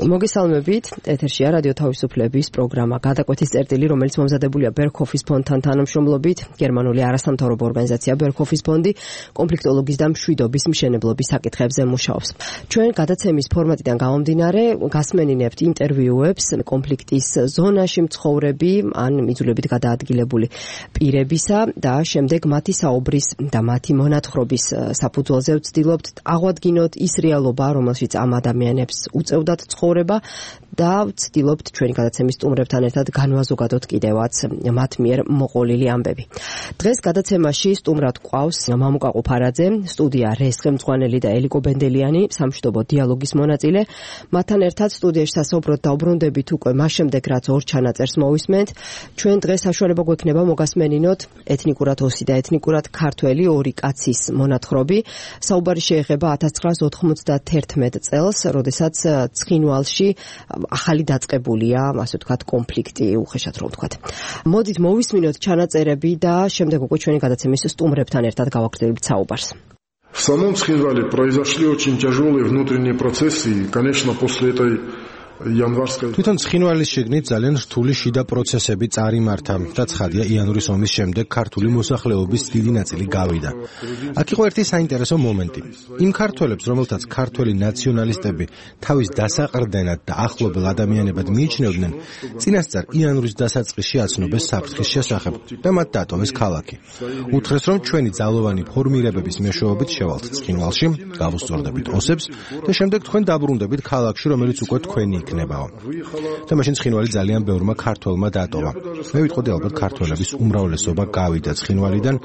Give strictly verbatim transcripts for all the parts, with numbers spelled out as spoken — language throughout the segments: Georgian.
მოგესალმებით, ეთერშია რადიო თავისუფლების პროგრამა გადაკვეთის წერტილი, რომელიც მომზადებულია ბერქოფის ფონდთან თანამშრომლობით. გერმანული არასამთავრობო ორგანიზაცია ბერქოფის ფონდი კონფლიქტოლოგიის და მშვიდობის მშენებლობის საკითხებზე მუშაობს. ჩვენ გადაცემის ფორმატიდან გამომდინარე გასმენინებთ ინტერვიუებს კონფლიქტის ზონაში მცხოვრები ან იძულებით გადაადგილებული პირებისა და შემდეგ მათი საუბრის და მათი მონათხრობის საფუძველზე ვცდილობთ აღვადგინოთ ის რეალობა, რომელშიც ამ ადამიანებს უწევდათ ცხოვრება და ვცდილობთ ჩვენი გადაცემის სტუმრებთან ერთად განვაზოგადოთ კიდევაც მათ მიერ მოყოლილი ამბები. დღეს გადაცემაში სტუმრად გვყავს მამუკა ყუფარაძე, სტუდია რესხე მწვანელი და ელიკო ბენდელიანი, სამშვიდობო დიალოგის მონაწილე. მათთან ერთად სტუდიაში სასაუბროდ დაუბრუნდებით უკვე მას შემდეგ, რაც ორ ჩანაწერს მოვისმენთ. ჩვენ დღეს საშუალება გვექნება მოგასმენინოთ ეთნიკურად ოსი და ეთნიკურად ქართველი ორი კაცის მონათხრობი. საუბარი შეეხება ათას ცხრაას ოთხმოცდაათერთმეტ წელს, როდესაც ცხინვალში ახალი დაწყებულია, ასე ვთქვათ, კონფლიქტი, უხეშად რომ ვთქვათ. მოდით მოვისმინოთ чанаწერები და შემდეგ უკვე ჩვენი გადაცემის სტუმრებთან ერთად გავაგრძელებთ საუბარს. В самом Цхинвале произошли очень тяжелые внутренние процессы, и, конечно, после этой თვითონ ცხინვალის შიგნით ძალიან რთული შიდა პროცესები წარიმართა და ცხადია იანვრის ომის შემდეგ ქართული მოსახლეობის დიდი ნაწილი გავიდა. აქ იყო ერთი საინტერესო მომენტი. იმ ქართველებს, რომელთაც ქართველი ნაციონალისტები თავის დასაყრდენად და ახლობელ ადამიანებად მიიჩნევდნენ, წინასწარ იანვრის დასაწყისში აცნობეს საფრთხის შესახებ და მათ დატოვეს ქალაქი. უთხრეს, რომ ჩვენი ძალოვანი ფორმირებების მეშვეობით შევალთ ცხინვალში, გავუსწორდებით ოსებს და შემდეგ თქვენ დაბრუნდებით ქალაქში, რომელიც უკვე თქვენი იქნებაო. და მაშინ ცხინვალი ძალიან ბევრმა ქართველმა დატოვა. მე ვიტყოდი ალბათ ქართველების უმრავლესობა გავიდა ცხინვალიდან,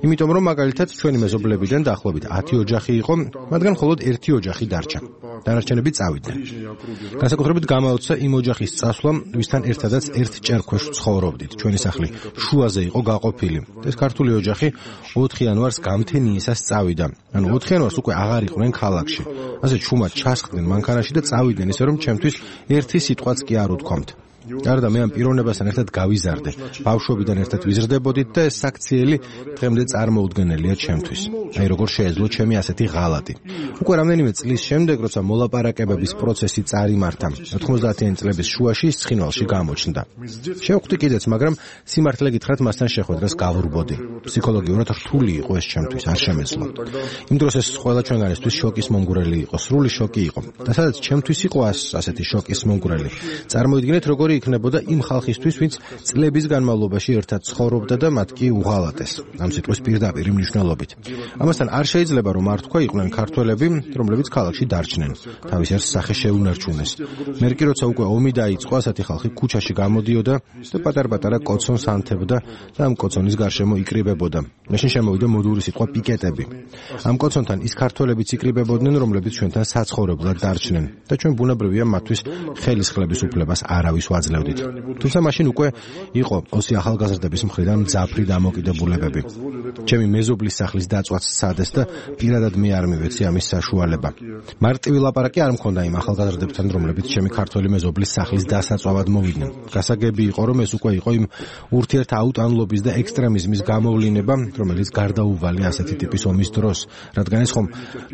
იმიტომ რომ მაგალითად ჩვენი მეზობლებიდან დაახლოებით ათი ოჯახი იყო, მათგან მხოლოდ ერთი ოჯახი დარჩა. დანარჩენები წავიდნენ. განსაკუთრებით გამაოცა იმ ოჯახის წასვლა, ვისთან ერთადაც ერთ ჭერქვეშ ცხოვრობდით. ჩვენი სახლი შუაზე იყო გაყოფილი. ეს ქართული ოჯახი ოთხ იანვარს გამთენიისას წავიდა. ანუ ოთხ იანვარს უკვე აღარ იყვნენ ქალაქში. ასე ჩუმად ჩასხდნენ მანქანაში და წავიდნენ, ისე რომ ჩემთვის ერთი სიტყვაც კი არ უთქვამთ. გარდა მე ამ პიროვნებასთან ერთად გავიზარდე. ბავშვობიდან ერთად ვიზრდებოდით და ეს საქციელი დღემდე წარმოუდგენელია ჩემთვის. აი როგორ შეეძლო ჩემი ასეთი ღალატი. უკვე რამდენიმე წლის შემდეგ, როცა მოლაპარაკებების პროცესი წარიმართა, ოთხმოცდაათიანი წლების შუაში ცხინვალში გამოჩნდა. შევხვდი კიდეც, მაგრამ სიმართლე გითხრათ, მასთან შეხვედრას გავურბოდი. ფსიქოლოგიურად რთული იყო ეს ჩემთვის, არ შემეძლო. იმ დროს ეს ყველა ჩვენგანისთვის შოკის მომგვრელი იყო, სრული შოკი იყო. და სადაც ჩემთვის იყო ასეთი შოკის მომგვრელი. წარმოიდგინეთ, როგორი იქნებოდა იმ ხალხისთვის, ვინც წლების განმავლობაში ერთად ცხოვრობდა და მათ კი უღალატეს. ამ სიტყვის პირდაპირ მნიშვნელობით. ამასთან არ შეიძლება რომ არ თქვა იყვნენ ქართველები, რომლებიც ქალაქში დარჩნენ. თავის ერთ სახე შეუნარჩუნეს. მერკი როცა უკვე ომი დაიწყო, ასეთი ხალხი ქუჩაში გამოდიოდა და პატარ-პატარა კოცონს ანთებდა და ამ კოცონის გარშემო იკრიბებოდა. მაშინ შემოვიდა მოდური სიტყვა პიკეტები. ამ კოცონთან ის ქართველებიც იკრიბებოდნენ, რომლებიც ჩვენთან საცხოვრებლად დარჩნენ და ჩვენ ბუნებრივია მათთვის ხელისხლების უფლებას არავის ვაძლევდით. თუმცა მაშინ უკვე იყო ოსი ახალგაზრდების მხრიდან მძაფრი დამოკიდებულებები. ჩემი მეზობლის სახლის დაწვაც სცადეს და პირადად მე არ მივეცი ამის საშუალება. მარტივი ლაპარაკი არ მქონდა იმ ახალგაზრდებთან, რომლებიც ჩემი ქართველი მეზობლის სახლის დასაწვავად მოვიდნენ. გასაგები იყო, რომ ეს უკვე იყო იმ ურთიერთაუტანლობის და ექსტრემიზმის გამოვლინება, რომელიც გარდაუვალი ასეთი ტიპის ომის დროს, რადგან ეს ხომ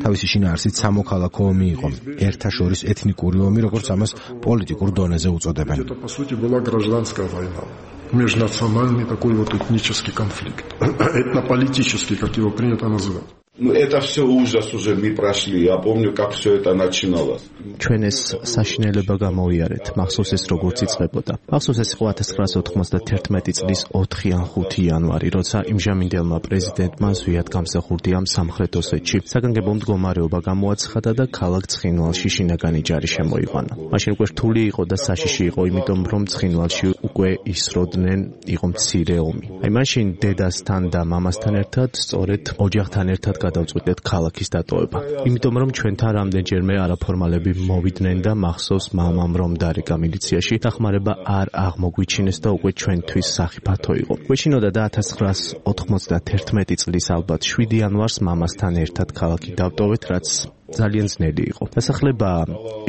თავისი შინაარსით სამოქალაქო ომი იყო, ერთა შორის ეთნიკური ომი, როგორც ამას პოლიტიკურ დონეზე უწოდებენ. Это, по сути, была гражданская война. Межнациональный такой вот этнический конфликт. Этнополитический, как его принято называть. Ну, это все ужас уже мы прошли. Я помню, как все это начиналось. ჩვენ ეს საშინელება გამოვიარეთ. მახსოვს ეს როგორც იწყებოდა. მახსოვს ეს იყო ათას ცხრაას ოთხმოცდაათერთმეტი წლის ოთხი ან ხუთი იანვარი, როცა იმჟამინდელმა პრეზიდენტმა ზვიად გამსახურდი ამ სამხრეთ ოსეთში საგანგებო მდგომარეობა გამოაცხადა და ქალაქ ცხინვალში შინაგანი ჯარი შემოიყვანა. მაშინ უკვე რთული იყო და საშიში იყო, იმიტომ რომ ცხინვალში უკვე ისროდნენ, იყო მცირე ომი. აი მაშინ დედასთან და მამასთან ერთად, სწორედ ოჯახთან ერთად გადავწყვიტეთ ქალაქის დატოვება. იმიტომ რომ ჩვენთან რამდენჯერმე არაფორმალები მოვიდნენ და მახსოვს მამამ რომ დარეკა მილიციაში, დახმარება არ აღმოგვიჩინეს და უკვე ჩვენთვის სახიფათო იყო. გვეშინოდა და ათას ცხრაას ოთხმოცდაათერთმეტი წლის ალბათ შვიდი იანვარს მამასთან ერთად ქალაქი დავტოვეთ, რაც ძალიან ძნელი იყო. დასახლება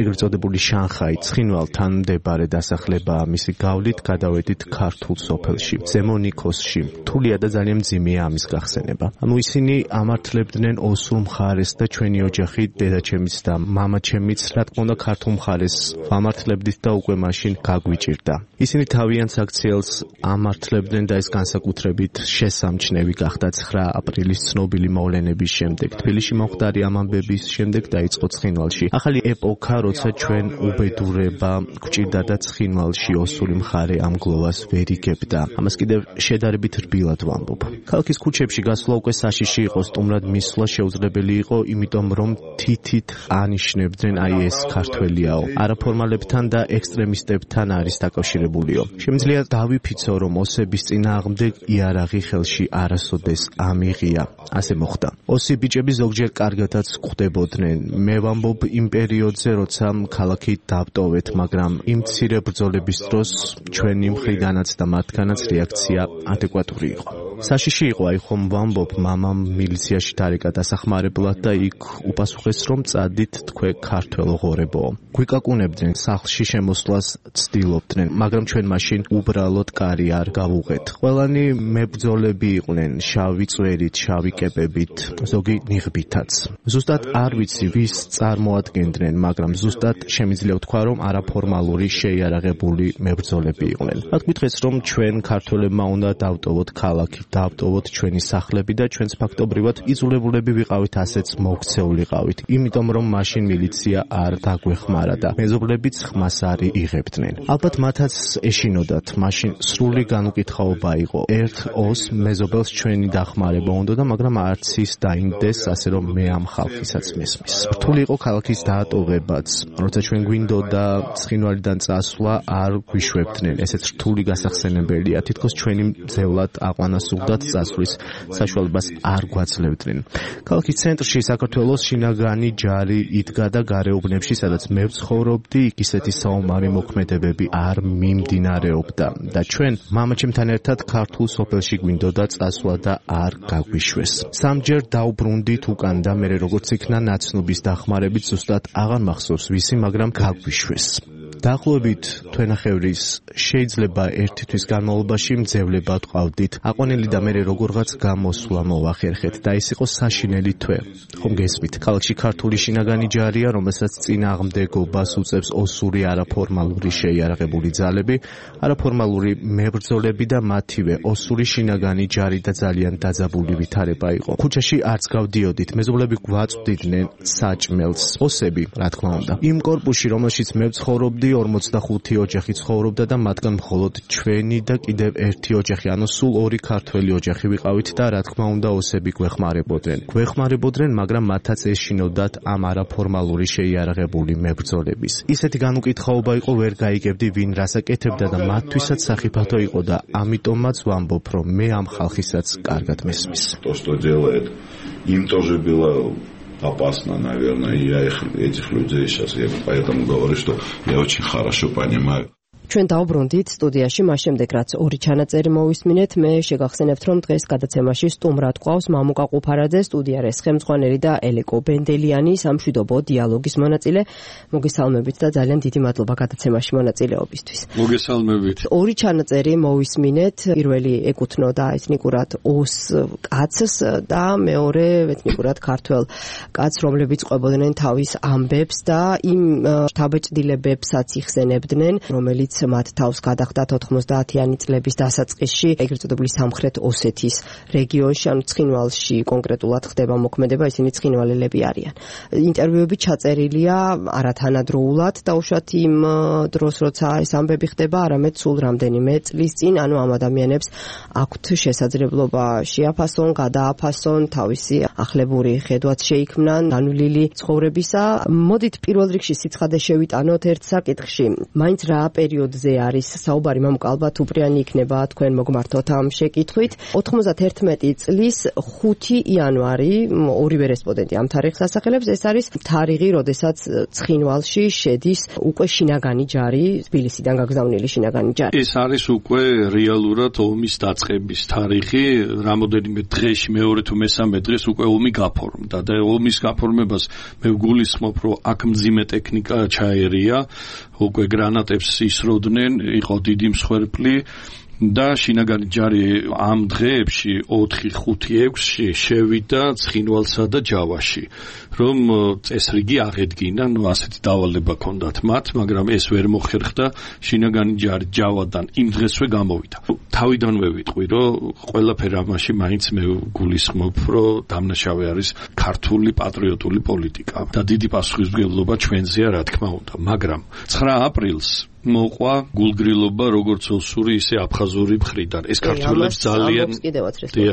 ეგრეთ წოდებული შანხაი ცხინვალთან მდებარე დასახლება მისი გავლით გადავედით ქართულ სოფელში, ზემო ნიქოსში. რთულია და ძალიან მძიმეა ამის გახსენება. ანუ ისინი ამართლებდნენ ოსურ მხარეს და ჩვენი ოჯახი, დედაჩემიც და მამაჩემიც, რა თქმა უნდა, ქართულ მხარეს ვამართლებდით და უკვე მაშინ გაგვიჭირდა. ისინი თავიანთ აქციელს ამართლებდნენ და ეს განსაკუთრებით შესამჩნევი გახდა ცხრა აპრილის ცნობილი მოვლენების შემდეგ. თბილისში მომხდარი ამ ამბების შემდეგ დაიწყო ცხინვალში ახალი ეპოქა, როცა ჩვენ უბედურება გვჭირდა და ცხინვალში ოსური მხარე ამ გლოვას ვერ იგებდა. ამას კიდევ შედარებით რბილად ვამბობ. ქალაქის ქუჩებში გასვლა უკვე საშიში იყო, სტუმრად მისვლა შეუძლებელი იყო, იმიტომ რომ თითით ანიშნებდნენ აი ეს ქართველიაო. არაფორმალებთან და ექსტრემისტებთან არის დაკავშირებულიო. შემიძლია დავიფიცო, რომ ოსების წინააღმდეგ იარაღი ხელში არასოდეს ამიღია. ასე მოხდა. ოსი ბიჭები ზოგჯერ კარგადაც ხვდებოდნენ. მე ვამბობ იმ პერიოდზე, როცა ქალაქი დავტოვეთ, მაგრამ იმ მცირე ბრძოლების დროს ჩვენი მხრიდანაც და მათგანაც რეაქცია ადეკვატური იყო. საშიში იყო, აი ხომ ვამბობ, მამამ მილიციაში დარეკა დასახმარებლად და იქ უპასუხეს, რომ წადით თქვენ ქართველ ღორებო. გვიკაკუნებდნენ, სახლში შემოსვლას ცდილობდნენ, მაგრამ ჩვენ მაშინ უბრალოდ კარი არ გავუღეთ. ყველანი მებრძოლები იყვნენ, შავი წვერით, შავი კეპებით, ზოგი ნიღბითაც. ზუსტად არ ვიცი, ვის წარმოადგენდნენ, მაგრამ ზუსტად შემიძლია ვთქვა, რომ არაფორმალური შეიარაღებული მებრძოლები იყვნენ. მათ გითხრეს, რომ ჩვენ ქართველებმა უნდა დავტოვოთ ქალაქი, დავტოვოთ ჩვენი სახლები და ჩვენც ფაქტობრივად იძულებულები ვიყავით ასეც მოქცეულიყავით, იმიტომ რომ მაშინ მილიცია არ დაგვეხმარა და მეზობლებიც ხმას არ იღებდნენ. ალბათ მათაც ეშინოდათ, მაშინ სრული განუკითხაობა იყო. ერთ ოს მეზობელს ჩვენი დახმარება უნდოდა, მაგრამ არც ის დაინდეს, ასე რომ მე ამ ხალხისაც მესმის. რთული იყო ქალაქის დაატოვებაც. როცა ჩვენ გვინდოდა ცხინვალიდან წასვლა, არ გვიშვებდნენ. ესეც რთული გასახსენებელია. თითქოს ჩვენი მძევლად აყვანასურდათ წასვლის საშუალებას არ გვაძლევდნენ. ქალაქის ცენტრში საქართველოს შინაგანი ჯარი იდგა და გარეუბნებში, სადაც მე ვცხოვრობდი, იქ ისეთი საომარი მოქმედებები არ მიმდინარეობდა და ჩვენ მამაჩემთან ერთად ქართულ სოფელში გვინდოდა წასვლა და არ გაგვიშვეს. სამჯერ დავბრუნდით უკან და მე როგორც იქნა ნაცნობის დახმარებით, ზუსტად აღარ მახსოვს ვისი, მაგრამ გაგვიშვეს. დაახლოებით თვენახევრის შეიძლება ერთი თვის განმავლობაში მძევლებად ყავდით. აყვანილი და მე როგორღაც გამოსვლა მოვახერხეთ და ეს იყო საშინელი თვე. ხომ გესმით, ქალაქში ქართული შინაგანი ჯარია, რომელსაც წინააღმდეგობას უწევს ოსური არაფორმალური შეიარაღებული ძალები, არაფორმალური მებრძოლები და მათივე ოსური შინაგანი ჯარი და ძალიან დაძაბული ვითარება იყო. ქუჩაში არც გავდიოდით, მეზობლები გვაწვდიდნენ საჭმელს, ოსები, რა თქმა უნდა. იმ კორპუსში, რომელშიც მე ვცხოვრობდი, ორმოცდახუთი ოჯახი ცხოვრობდა და მათგან მხოლოდ ჩვენი და კიდევ ერთი ოჯახი, ანუ სულ ორი ქართველი ოჯახი ვიყავით და რა თქმა უნდა ოსები გვეხმარებოდნენ. გვეხმარებოდნენ, მაგრამ მათაც ეშინოდათ ამ არაფორმალური შეიარაღებული მებრძოლების. ისეთი განუკითხაობა იყო, ვერ გაიგებდი ვინ რას აკეთებდა და მათთვისაც სახიფათო იყო და ამიტომაც ვამბობ, რომ მე ამ ხალხისაც каргат მესმის. То, что делает, им тоже было опасно, наверное, и я их, этих людей сейчас, я поэтому говорю, что я очень хорошо понимаю. ჩვენ დავბრუნდით სტუდიაში, მას შემდეგ რაც ორი ჩანაწერი მოვისმინეთ, მე შეგახსენებთ, რომ დღეს გადაცემაში სტუმრად ყავს მამუკა ყუფარაძე, სტუდიარეს ხელმძღვანელი და ელეკო ბენდელიანი, სამშვიდობო დიალოგის მონაწილე. მოგესალმებით და ძალიან დიდი მადლობა გადაცემაში მონაწილეობისთვის. მოგესალმებით. ორი ჩანაწერი მოვისმინეთ, პირველი ეკუთვნოდა ეთნიკურად ოს კაცს და მეორე ეთნიკურად ქართველ კაცს, რომლებიც ყვებოდნენ თავის ამბებს და იმ შთაბეჭდილებებსაც იხსენებდნენ, რომელიც მათ თავს გადახდათ ოთხმოცდაათიანი წლების დასაწყისში ეგრეთ წოდებული სამხრეთ ოსეთის რეგიონში, ანუ ცხინვალში კონკრეტულად ხდება მოქმედება, ისინი ცხინვალელები არიან. ინტერვიუები ჩაწერილია არათანადროულად, დაუშვათ იმ დროს, როცა ეს ამბები ხდება, არამედ სულ რამდენიმე წლის წინ, ანუ ამ ადამიანებს აქვთ შესაძლებლობა შეაფასონ, გადააფასონ, თავისი ახლებური ხედვაც შეიქმნან განვლილი ცხოვრებისა. მოდით პირველ რიგში სიცხადე შევიტანოთ ერთ საკითხში. მაინც რა პერიოდი პერიოდზე არის საუბარი, მამუკ ალბათ უპრიანი იქნება თქვენ მოგმართოთ ამ შეკითხვით. ოთხმოცდაათერთმეტი წლის ხუთი იანვარი ორივე რესპონდენტი ამ თარიღს ასახელებს. ეს არის თარიღი, როდესაც ცხინვალში შედის უკვე შინაგანი ჯარი, თბილისიდან გაგზავნილი შინაგანი ჯარი. ეს არის უკვე რეალურად ომის დაწყების თარიღი, რამოდენიმე დღეში მეორე თუ მესამე დღეს უკვე ომი გაფორმდა და ომის გაფორმებას მე ვგულისხმობ, რომ აქ მძიმე ტექნიკა ჩაერია, უკვე გრანატებს ისროდნენ, იყო დიდი მსხვერპლი და შინაგანი ჯარი ამ დღეებში ოთხი, ხუთი, ექვსი შევიდა ცხინვალსა და ჯავაში, რომ წესრიგი აღედგინა, ნუ ასეთი დავალება ჰქონდათ მათ, მაგრამ ეს ვერ მოხერხდა, შინაგანი ჯარი ჯავადან იმ დღესვე გამოვიდა. თავიდანვე ვიტყვი, რომ ყველაფერი ამაში მაინც მე გულისხმობ, რომ დამნაშავე არის ქართული პატრიოტული პოლიტიკა და დიდი პასუხისმგებლობა ჩვენზეა, რა თქმა უნდა, მაგრამ ცხრა აპრილს მოყვა გულგრილობა როგორც ოსური, ისე აფხაზური მხრიდან. ეს ქართველებს ძალიან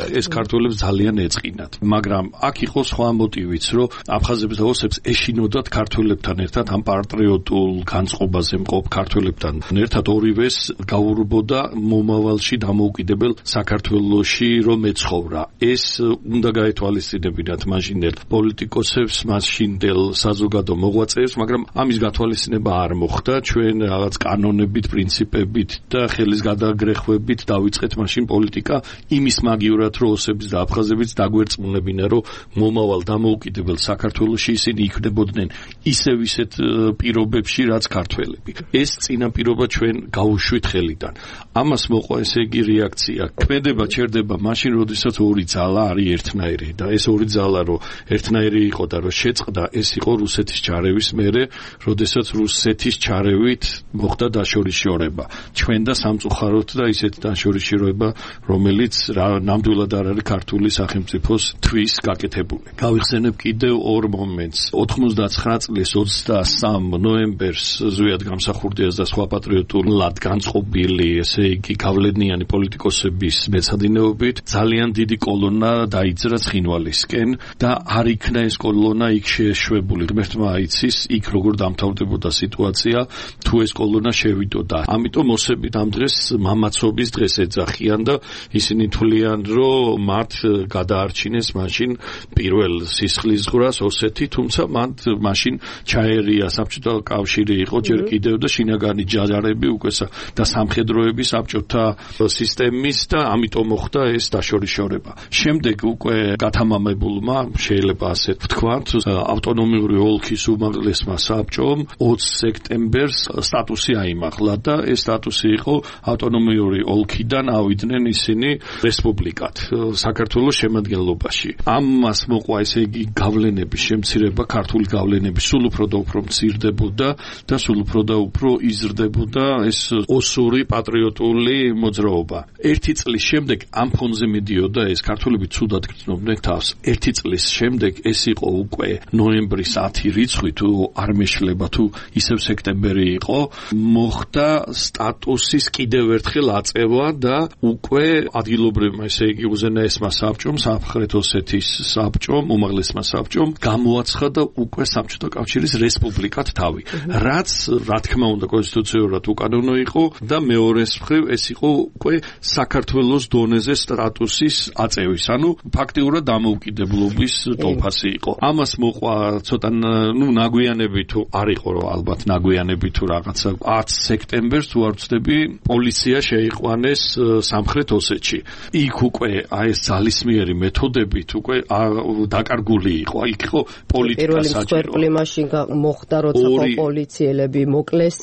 ეს ქართველებს ძალიან ეწყინათ. მაგრამ აქ იყო სხვა მოტივიც, რომ აფხაზებს და ოსებს ეშინოდათ ქართველებთან ერთად ამ პატრიოტულ განწყობაზე მყოფ ქართველებთან ერთად ორივეს გაურბოდა მომავალში დამოუკიდებელ საქართველოში რომ ეცხოვრა. ეს უნდა გაეთვალისწინებინათ მაშინდელ პოლიტიკოსებს, მაშინდელ საზოგადო მოღვაწეებს, მაგრამ ამის გათვალისწინება არ მოხდა. ჩვენ რაღაც კანონებით, პრინციპებით და ხელის გადაგრეხვებით დავიწყეთ მაშინ პოლიტიკა იმის მაგივრად, რომ ოსების და აფხაზების დაგვერწმუნებინა, რომ მომავალ დამოუკიდებელ საქართველოში ისინი იქნებოდნენ ისევ ისეთ პირობებში, რაც ქართველები. ეს წინაპირობა ჩვენ გაუშვით ხელიდან. ამას მოყვა ესე იგი რეაქცია. ქმედება ჩერდება მაშინ, როდესაც ორი ძალა არის ერთნაირი და ეს ორი ძალა რომ ერთნაირი იყო და რომ შეწყდა, ეს იყო რუსეთის ჩარევის მერე, როდესაც რუსეთის ჩარევით მოხდა დაშორიშორება. ჩვენ და სამწუხაროდ და ისეთ დაშორიშორება, რომელიც ნამდვილად არ არის ქართული სახელმწიფოს თვის გაკეთებული. გავიხსენებ კიდევ ორ მომენტს. ოთხმოცდაცხრა წლის ოცდასამ ნოემბერს ზვიად გამსახურდიას და სხვა პატრიოტულად განწყობილი, ესე იგი გავლენიანი პოლიტიკოსების მეცადინეობით ძალიან დიდი კოლონა დაიძრა ცხინვალისკენ და არ იქნა ეს კოლონა იქ შეშვებული. ღმერთმა აიცის, იქ როგორ დამთავრდებოდა სიტუაცია, თუ ეს კოლონა შევიდოდა. ამიტომ ოსებით ამ დღეს მამაცობის დღეს ეძახიან და ისინი თვლიან, რომ მათ გადაარჩინეს მაშინ პირველ სისხლისღვრას ოსეთი, თუმცა მან მაშინ ჩაერია საბჭოთა კავშირი იყო ჯერ კიდევ და შინაგანი ჯარები უკვე და სამხედროების საბჭოთა სისტემის და ამიტომ მოხდა ეს დაშორიშორება. შემდეგ უკვე გათამამებულმა შეიძლება ასე ვთქვათ, ავტონომიური ოლქის უმაღლესმა საბჭომ ოცი სექტემბერს სტატუსი აიმაღლა და ეს სტატუსი იყო ავტონომიური ოლქიდან ავიდნენ ისინი რესპუბლიკად საქართველოს შემადგენლობაში. ამას მოყვა ესე იგი გავლენების შემცირება, ქართული გავლენები სულ უფრო და უფრო მცირდებოდა და სულ უფრო და უფრო იზრდებოდა ეს ოსური პატრიოტული მოძრაობა. ერთი წლის შემდეგ ამ ფონზე მიდიოდა ეს ქართველები ცუდად გრძნობდნენ თავს. ერთი წლის შემდეგ ეს იყო უკვე ნოემბრის ათი რიცხვი, თუ არ მეშლება, თუ ისევ სექტემბერი იყო, მოხდა სტატუსის კიდევ ერთხელ აწევა და უკვე ადგილობრივმა, ესე იგი უზენაესმა საბჭომ, სამხრეთ ოსეთის საბჭომ, უმაღლესმა საბჭომ გამოაცხადა უკვე საბჭოთა კავშირის რესპუბლიკად თავი. რაც, რა თქმა უნდა, კონსტიტუციურად უკანონო იყო და მეორეს მხრივ ეს იყო უკვე საქართველოს დონეზე სტატუსის აწევის, ანუ ფაქტიურად დამოუკიდებლობის ტოლფასი იყო. ამას მოყვა ცოტა ნუ ნაგვიანები თუ არ იყო, რომ ალბათ ნაგვიანები თუ რაღაცა ათი სექტემბერს თუ არ ვცდები, პოლიცია შეიყვანეს სამხრეთ ოსეთში. იქ უკვე აი ეს ძალისმიერი მეთოდებით უკვე დაკარგული იყო. იქ იყო პოლიტიკა საჭირო. პირველი მსხვერპლი მაშინ მოხდა, როცა პოლიციელები მოკლეს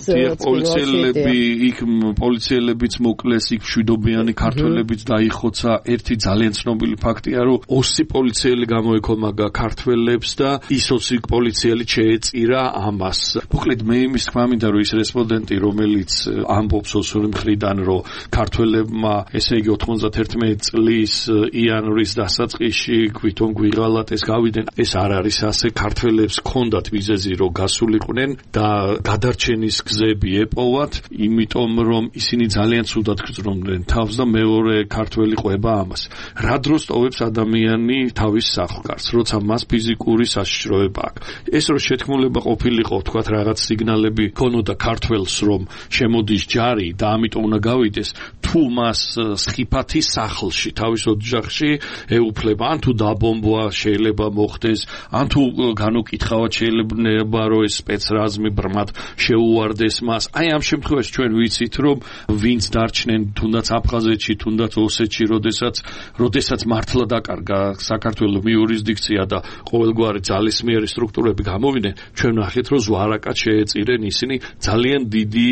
პოლიციელები იქ პოლიციელებიც მოკლეს, იქ მშვიდობიანი ქართველებიც დაიხოცა. ერთი ძალიან ცნობილი ფაქტია, რომ ოსი პოლიციელი გამოეკომაგა ქართველებს და ის ოსი პოლიციელი შეეწირა ამას. მოკლედ მე იმის თქმა მინდა, რომ ის რესპონდენტი, რომელიც ამბობს ოსური მხრიდან, რომ ქართველებმა, ესე იგი ოთხმოცდაათერთმეტი წლის იანვრის დასაწყისში გვითომ გვიღალათ ეს გავიდნენ, ეს არ არის ასე. ქართველებს ჰქონდათ მიზეზი, რომ გასულიყვნენ და გადარჩენის გზები ეპოვათ, იმიტომ რომ ისინი ძალიან ცუდად გრძნობდნენ თავს და მეორე ქართველი ყვება ამას. რა დროს ტოვებს ადამიანი თავის სახლკარს, როცა მას ფიზიკური საშიშროება აქვს. ეს რო შეთქმულება ყოფილიყო, თქვათ რაღაც სიგნალები ქონოდა ქართველ ყოველს რომ შემოდის ჯარი და ამიტომ უნდა გავიდეს თუ მას სხიფათის სახლში თავის ოჯახში ეუფლება ან თუ დაბომბვა შეიძლება მოხდეს ან თუ განუკითხავად შეიძლება რომ ეს სპეცრაზმი ბრმად შეუვარდეს მას აი ამ შემთხვევაში ჩვენ ვიცით რომ ვინც დარჩნენ თუნდაც აფხაზეთში თუნდაც ოსეთში როდესაც როდესაც მართლა დაკარგა საქართველოს იურისდიქცია და ყოველგვარი ძალისმიერი სტრუქტურები გამოვიდნენ ჩვენ ნახეთ რომ ზვარაკად შეეწირენ ისინი ძალიან დიდი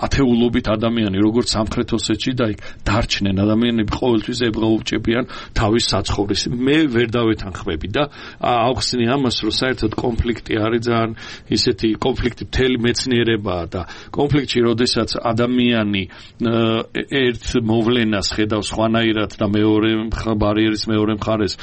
ათეულობით ადამიანი როგორც სამხრეთ ოსეთში და იქ დარჩნენ ადამიანები ყოველთვის ებღაუჭებიან თავის საცხოვრეს მე ვერ დავეთანხმები და ავხსნი ამას რომ საერთოდ კონფლიქტი არის ძალიან ისეთი კონფლიქტი მთელი მეცნიერებაა და კონფლიქტში როდესაც ადამიანი ერთ მოვლენას ხედავს სხვანაირად და მეორე ბარიერის მეორე მხარეს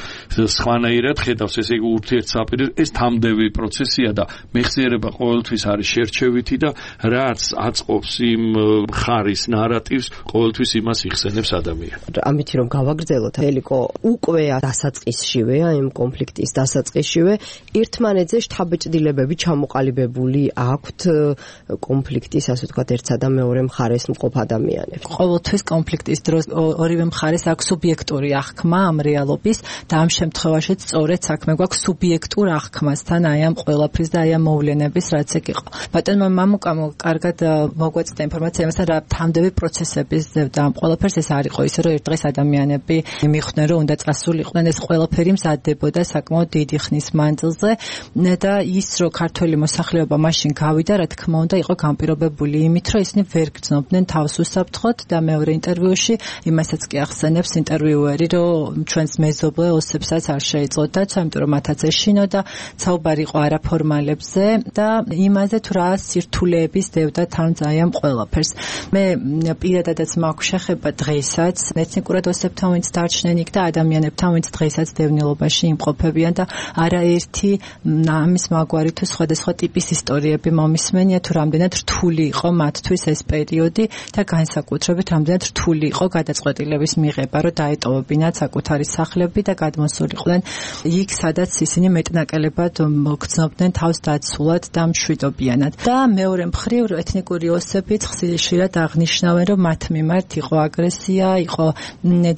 სხვანაირად ხედავს ესე იგი ურთიერთსაპირე ეს თამდევი პროცესია და მეხსიერება ყოველთვის არის შერჩევითი და რაც აწყობს იმ მხარის ნარატივს ყოველთვის იმას იხსენებს ადამიანი ამით რომ გავაგრძელოთ ელიკო უკვე დასაწყისშივე იმ კონფლიქტის დასაწყისშივე ერთმანეთზე შთაბეჭდილებები ჩამოყალიბებული აქვთ კონფლიქტის ასე ვთქვათ ერთსა და მეორე მხარეს მყოფ ადამიანებს ყოველთვის კონფლიქტის დროს ორივე მხარეს აქვს სუბიექტური აღქმა ამ რეალობის და ამ შემთხვევაშიც სწორედ საქმე გვაქვს სუბიექტურ აღქმასთან აი ამ ყველაფრის და აი ამ მოვლენების რაც ეგ იყო ბატონმა მამუკამ კარგად მოგვეწოდა ინფორმაცია იმასთან რა თამდევი პროცესების და ამ ყველაფერს ეს არ იყო ისე რომ ერთ დღეს ადამიანები მიხვდნენ რომ უნდა წასულიყვნენ ეს ყველაფერი მზადდებოდა საკმაოდ დიდი ხნის მანძილზე და ის რომ ქართველი მოსახლეობა მაშინ გავიდა რა თქმა უნდა იყო განპირობებული იმით რომ ისინი ვერ გრძნობდნენ თავს უსაფრთხოდ და მეორე ინტერვიუში იმასაც კი ახსენებს ინტერვიუერი რომ ჩვენს მეზობლე ოსებსაც არ შეეწოდათ იმიტომ რომ მათაც ეშინო და საუბარი იყო არაფორმალებზე და იმაზე თუ რა სირთულეების დევდა თან ძალიან ყველაფერს მე პირადადაც მაქვს შეხება დღესაც ეთნიკურად ოსებთან ვინც დარჩნენ იქ და ადამიანებთან ვინც დღესაც დევნილობაში იმყოფებიან და არაერთი ამის მაგვარი თუ სხვადასხვა ტიპის ისტორიები მომისმენია თუ რამდენად რთული იყო მათთვის ეს პერიოდი და განსაკუთრებით რამდენად რთული იყო გადაწყვეტილების მიღება რომ დაეტოვებინათ საკუთარი სახლები და გადმოსულიყვნენ იქ სადაც ისინი მეტნაკლებად მოგრძნობდნენ თავს დაცულად და მშვიდობიანად და მეორე მხრივ ეთნიკური ოსებიც ხშირად აღნიშნავენ რომ მათ მიმართ იყო აგრესია იყო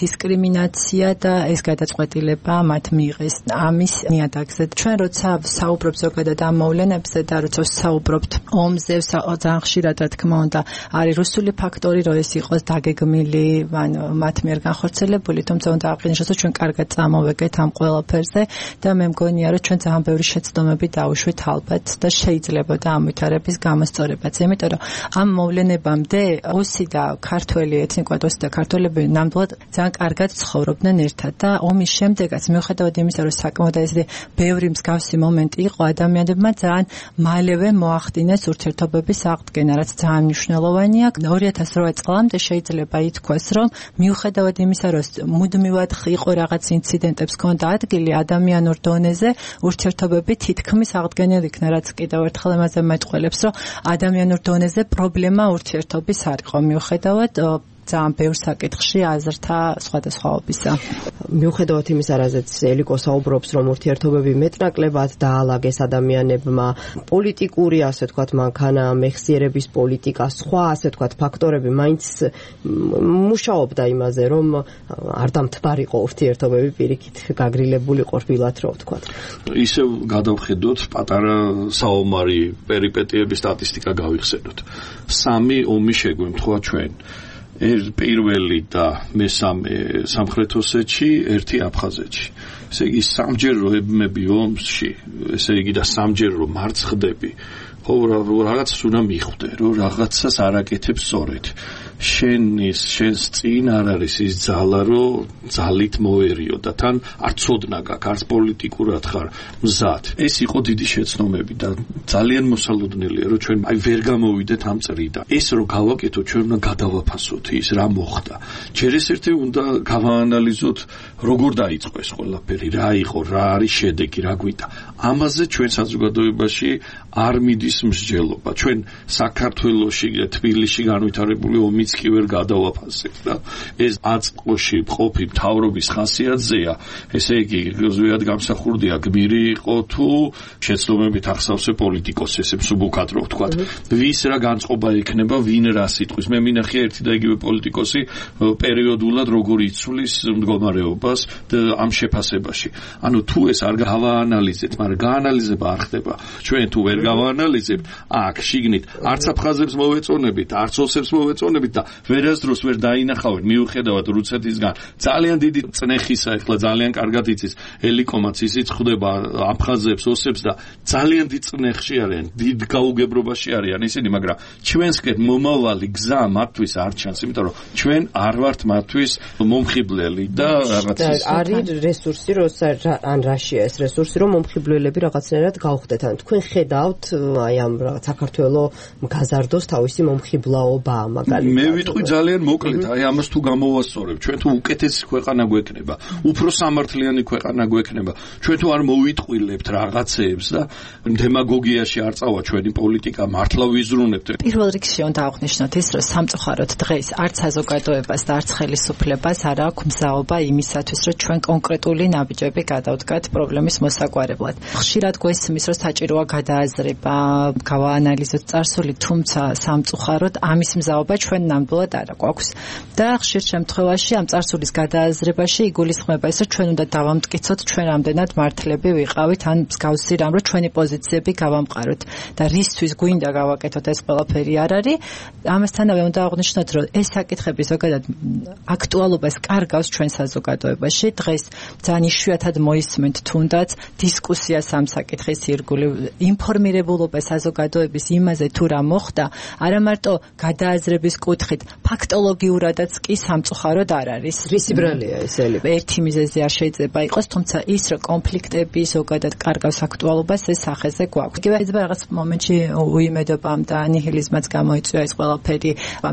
დისკრიმინაცია და ეს გადაწყვეტილება მათ მიიღეს ამის ნიადაგზე ჩვენ როცა საუბრობთ ზოგადად ამ მოვლენებზე და როცა საუბრობთ ომზე ძალიან ხშირად რა თქმა უნდა არის რუსული ფაქტორი რომ ეს იყოს დაგეგმილი ან მათ მიერ განხორციელებული თუმცა უნდა აღინიშნოს რომ ჩვენ კარგად წამოვეკეთ ამ ყველაფერზე და მე მგონია რომ ჩვენ ძალიან ბევრი შეცდომები დავუშვით ალბათ და შეიძლება და ამ ვითარების გამოსწორებაც იმიტომ რომ ამ მოვლენებამდე ოსი და ქართველი ეთნიკურად ოსი და ქართველები ნამდვილად ძალიან კარგად ცხოვრობდნენ ერთად და ომის შემდეგაც მიუხედავად იმისა რომ საკმაოდ ესეთი ბევრი მსგავსი მომენტი იყო ადამიანებმა ძალიან მალევე მოახდინეს ურთიერთობების აღდგენა რაც ძალიან მნიშვნელოვანია ორი ათას რვა წლამდე შეიძლება ითქვას რომ მიუხედავად იმისა რომ მუდმივად იყო რაღაც ინციდენტებს ჰქონდა ადგილი ადამიანურ დონეზე ურთიერთობები თითქმის აღდგენილ იქნა რაც კიდევ ერთხელ ამაზე მეტყველებს რომ ადამიანურ დონეზე პრობლემა ურთიერთობის არ იყო მიუხედავად ძალიან ბევრ საკითხში აზრთა სხვადასხვაობისა. მიუხედავად იმისა, რაზეც ელიკო საუბრობს, რომ ურთიერთობები მეტნაკლებად დაალაგეს ადამიანებმა, პოლიტიკური, ასე ვთქვათ, მანქანა, მეხსიერების პოლიტიკა, სხვა, ასე ვთქვათ, ფაქტორები მაინც მუშაობდა იმაზე, რომ არ დამთბარიყო ურთიერთობები პირიქით გაგრილებული ყოფილათ, რო ვთქვათ. ისევ გადავხედოთ პატარა საომარი პერიპეტიების სტატისტიკა გავიხსენოთ. სამი ომი შეგვემთხვა ჩვენ. პირველი და მესამე სამხრეთ ოსეთში, ერთი აფხაზეთში. ესე იგი სამჯერ რო ებმები ომში, ესე იგი და სამჯერ რო მარცხდები, ხო რაღაცას უნდა მიხვდე, რომ რაღაცას არაკეთებს სწორედ. შენის შენს წინ არ არის ის ძალა, რომ ძალით მოერიო და თან არ ცოდნა გაქვს, არც პოლიტიკურად ხარ მზად. ეს იყო დიდი შეცდომები და ძალიან მოსალოდნელია, რომ ჩვენ აი ვერ გამოვიდეთ ამ წრიდან. ეს რო გავაკეთოთ, ჩვენ უნდა გადავაფასოთ ის რა მოხდა. ჯერ ეს ერთი უნდა გავაანალიზოთ, როგორ დაიწყო ეს ყველაფერი, რა იყო, რა არის შედეგი, რა გვიდა. ამაზე ჩვენ საზოგადოებაში არ მიდის მსჯელობა. ჩვენ საქართველოში, თბილისში განვითარებული ომიც კი ვერ გადავაფასებ და ეს აწყოში მყოფი მთავრობის ხასიათზეა, ესე იგი ზუსტად გამსახურდია გმირი იყო თუ შეცდომებით ახსავსე პოლიტიკოსს, ეს მსუბუქად რო ვთქვა. ვის რა განწყობა ექნება, ვინ რა სიტყვის. მე მინახია ერთი და იგივე პოლიტიკოსი პერიოდულად როგორ იცვლის მდგომარეობას ამ შეფასებაში. ანუ თუ ეს არ გავაანალიზებთ, მაგრამ გაანალიზება არ ხდება. ჩვენ თუ ვერ გავაანალიზებთ, აქ შიგნით არც აფხაზებს მოვეწონებით, არც ოსებს მოვეწონებით და ვერასდროს ვერ დაინახავენ მიუხედავად რუსეთისგან ძალიან დიდი წნეხისა, ეხლა ძალიან კარგად იცის ელიკომაც ისიც ხვდება აფხაზებს, ოსებს და ძალიან დიდ წნეხში არიან, დიდ გაუგებრობაში არიან ისინი, მაგრამ ჩვენსკენ მომავალი გზა მათთვის არ ჩანს, იმიტომ რომ ჩვენ არ ვართ მათთვის მომხიბლელი და რაღაც არის რესურსი, ან რაშია ეს რესურსი, რომ მომხიბლელები რაღაცნაირად გავხდეთ. ან თქვენ ხედავთ აი ამ რაღაც საქართველოს გაზარდოს თავისი მომხიბლაობა მაგალითად. მე ვიტყვი ძალიან მოკლედ, აი ამას თუ გამოვასწორებ, ჩვენ თუ უკეთესი ქვეყანა გვექნება, უფრო სამართლიანი ქვეყანა გვექნება, ჩვენ თუ არ მოვიტყვილებთ რაღაცეებს და დემაგოგიაში არ წავა ჩვენი პოლიტიკა, მართლა ვიზრუნებთ. პირველ რიგში უნდა აღვნიშნოთ ის, რომ სამწუხაროდ დღეს არც საზოგადოებას და არც ხელისუფლებას არ აქვს მზაობა იმისათვის, რომ ჩვენ კონკრეტული ნაბიჯები გადავდგათ პრობლემის მოსაგვარებლად. ხშირად გვესმის, რომ საჭიროა გადააზრება, გავაანალიზოთ წარსული, თუმცა სამწუხაროდ ამის მზაობა ჩვენ ნამდვილად არ გვაქვს. და ხშირ შემთხვევაში ამ წარსულის გადააზრებაში იგულისხმება ის, რომ ჩვენ უნდა დავამტკიცოთ ჩვენ რამდენად მართლები ვიყავით, ან მსგავსი რამ, რომ ჩვენი პოზიციები გავამყაროთ და რისთვის გვინდა გავაკეთოთ ეს ყველაფერი არ არის. ამასთანავე უნდა აღვნიშნოთ, რომ ეს საკითხები ზოგადად აქტუალობას კარგავს ჩვენ საზოგადოებაში. დღეს ძალიან იშვიათად მოისმენთ თუნდაც დისკუსიას ამ საკითხის ირგვლივ, ინფორმირებულობა საზოგადოების იმაზე თუ რა მოხდა, არა მარტო გადააზრების კუთხით, ფაქტოლოგიურადაც კი სამწუხაროდ არ არის. რისი ბრალია ეს ელიფ? ერთი მიზეზი არ შეიძლება იყოს, თუმცა ის, რომ კონფლიქტები ზოგადად კარგავს აქტუალობას, ეს სახეზე გვაქვს. იგივე ეს რაღაც მომენტში უიმედობამ და ნიჰილიზმაც გამოიწვია ეს ყველაფერი.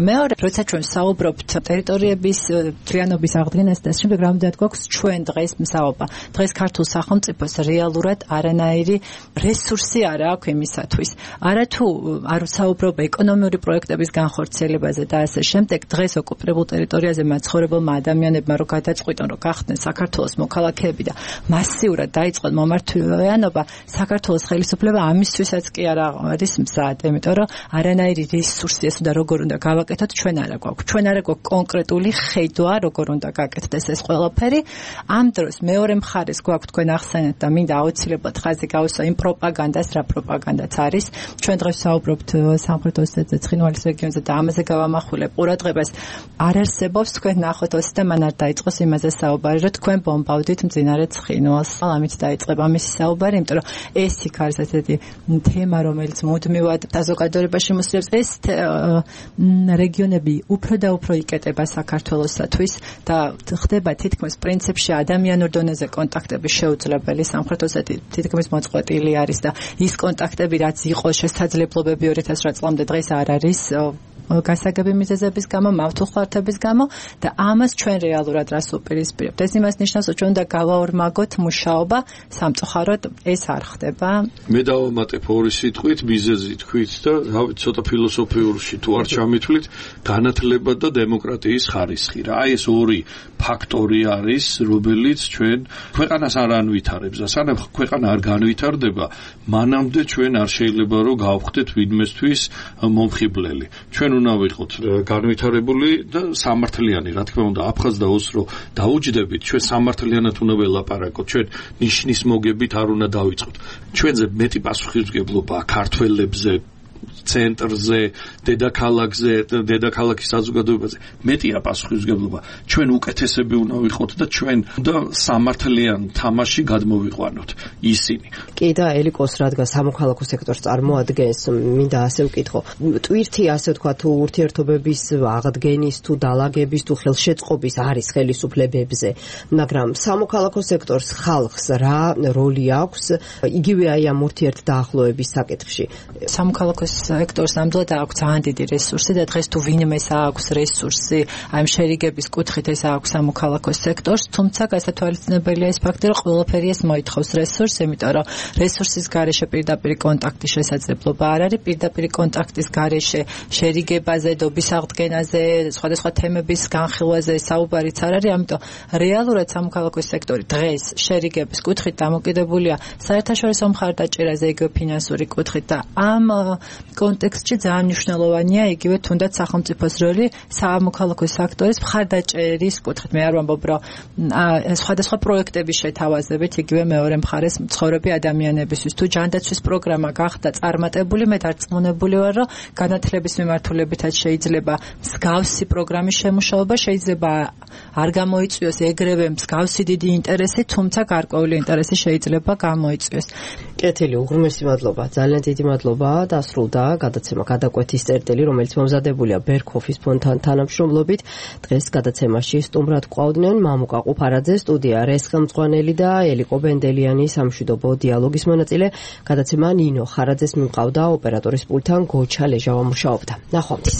მეორე, როცა ჩვენ საუბრობთ ტერიტორიების მთლიანობის აღდგენას და შემდეგ რამდენად გვაქვს ჩვენ დღეს მსაობა. დღეს ქართულ სახელმწიფოს რეალურად არანაირი რესურსი არ აქვს იმისათვის. არა თუ არ საუბრობ ეკონომიური პროექტების განხორციელებაზე და ასე შემდეგ, დღეს ოკუპირებულ ტერიტორიაზე მაცხოვრებელმა ადამიანებმა რო გადაწყვიტონ, რომ გახდნენ საქართველოს მოქალაქეები და მასიურად დაიწყონ მომართვიანობა, საქართველოს ხელისუფლება ამისთვისაც კი არ არის მზად, იმიტომ რომ არანაირი რესურსი ეს და როგორ უნდა გავაკეთოთ ჩვენ არა გვაქვს. ჩვენ არა გვაქვს კონკრეტული ხედვა, როგორ უნდა გაკეთდეს ეს ყველაფერი. ამ დროს მეორე მხარეს გვაქვს თქვენ ახსენეთ და მინდა აუცილებლად ხაზი გავუსვა იმ პროპაგანდას, რა პროპაგანდაც არის. ჩვენ დღეს საუბრობთ სამხრეთ ოსეთზე, ცხინვალის რეგიონზე და ამაზე გავამახვილებ ყურადღებას. არ არსებობს თქვენ ნახოთ ოსი და მან არ დაიწყოს იმაზე საუბარი, რომ თქვენ ბომბავდით მძინარე ცხინვალს. ამით დაიწყება მისი საუბარი, იმიტომ რომ ეს იქ არის ესეთი თემა, რომელიც მუდმივად საზოგადოებაში მოსვლებს. ეს რეგიონები უფრო და უფრო იკეტება საქართველოსათვის და ხდება თითქმის პრინციპში ადამიანურ დონეზე კონტაქტები შეუძლებელი. სამხრეთ ოსეთი თითქმის მოწყვეტილი არის და ის კონტაქტები, რაც იყო შესაძლებლობები ორი ათას ოთხ წლამდე დღეს არ არის გასაგები მიზეზების გამო, მავთუხლართების გამო და ამას ჩვენ რეალურად რას უპირისპირებთ. ეს იმას ნიშნავს, რომ ჩვენ უნდა გავაორმაგოთ მუშაობა, სამწუხაროდ ეს არ ხდება. მე დავამატებ ორი სიტყვით, მიზეზი თქვით და ცოტა ფილოსოფიურში თუ არ ჩამithვლით, განათლება და დემოკრატიის ხარისხი. რა ეს ორი ფაქტორი არის, რომელიც ჩვენ ქვეყანას არ ანვითარებს და სანამ ქვეყანა არ განვითარდება, მანამდე ჩვენ არ შეიძლება რომ გავხდეთ ვინმესთვის მომხიბლელი. ჩვენ უნდა ვიყოთ განვითარებული და სამართლიანი, რა თქმა უნდა, აფხაზ და ოს რო დაუჯდებით, ჩვენ სამართლიანად უნდა ველაპარაკოთ, ჩვენ ნიშნის მოგებით არ უნდა დავიწყოთ. ჩვენზე მეტი პასუხისმგებლობა ქართველებზე, ცენტრზე, დედაქალაქზე, დედაქალაქის საზოგადოებაზე მეტია პასუხისმგებლობა. ჩვენ უკეთესები უნდა ვიყოთ და ჩვენ უნდა სამართლიან თამაში გადმოვიყვანოთ ისინი. კი და ელიკოს რადგან სამოქალაქო სექტორს წარმოადგენს, მინდა ასე ვკითხო. ტვირთი ასე ვთქვა თუ ურთიერთობების აღდგენის თუ დალაგების თუ ხელშეწყობის არის ხელისუფლებებზე, მაგრამ სამოქალაქო სექტორს ხალხს რა როლი აქვს იგივე აი ამ ურთიერთ დაახლოების საკითხში? სამოქალაქო სამოქალაქო სექტორს ნამდვილად აქვს ძალიან დიდი რესურსი და დღეს თუ ვინმეს აქვს რესურსი აი შერიგების კუთხით ეს აქვს სამოქალაქო სექტორს, თუმცა გასათვალისწინებელია ის ფაქტი, რომ ყველაფერი ეს მოითხოვს რესურსს, იმიტომ რომ რესურსის გარეშე პირდაპირ კონტაქტის შესაძლებლობა არ არის, პირდაპირ კონტაქტის გარეშე შერიგებაზე, დობის აღდგენაზე, სხვადასხვა თემების განხილვაზე საუბარიც არ არის, ამიტომ რეალურად სამოქალაქო სექტორი დღეს შერიგების კუთხით დამოკიდებულია საერთაშორისო მხარდაჭერაზე, იგივე ფინანსური კუთხით და ამ კონტექსტში ძალიან მნიშვნელოვანია იგივე თუნდაც სახელმწიფოს როლი სამოქალაქო სექტორის მხარდაჭერის კუთხით. მე არ ვამბობ, რომ სხვადასხვა პროექტების შეთავაზებით იგივე მეორე მხარეს მცხოვრები ადამიანებისთვის თუ ჯანდაცვის პროგრამა გახდა წარმატებული, მე დარწმუნებული ვარ, რომ განათლების მიმართულებითაც შეიძლება მსგავსი პროგრამის შემუშავება, შეიძლება არ გამოიწვიოს ეგრევე მსგავსი დიდი ინტერესი, თუმცა გარკვეული ინტერესი შეიძლება გამოიწვიოს. კეთილი, უღრმესი მადლობა. ძალიან დიდი მადლობა. დასრულდა გადაცემა გადაკვეთის წერტილი, რომელიც მომზადებულია ბერქოფის ფონდთან თანამშრომლობით. დღეს გადაცემაში სტუმრად გვყავდნენ მამუკა ყუფარაძე, სტუდია რესხელმწვანელი და ელიკო ბენდელიანი, სამშვიდობო დიალოგის მონაწილე. გადაცემა ნინო ხარაძეს მიმყავდა, ოპერატორის პულტთან გოჩა ლეჟავა მუშაობდა. ნახვამდის.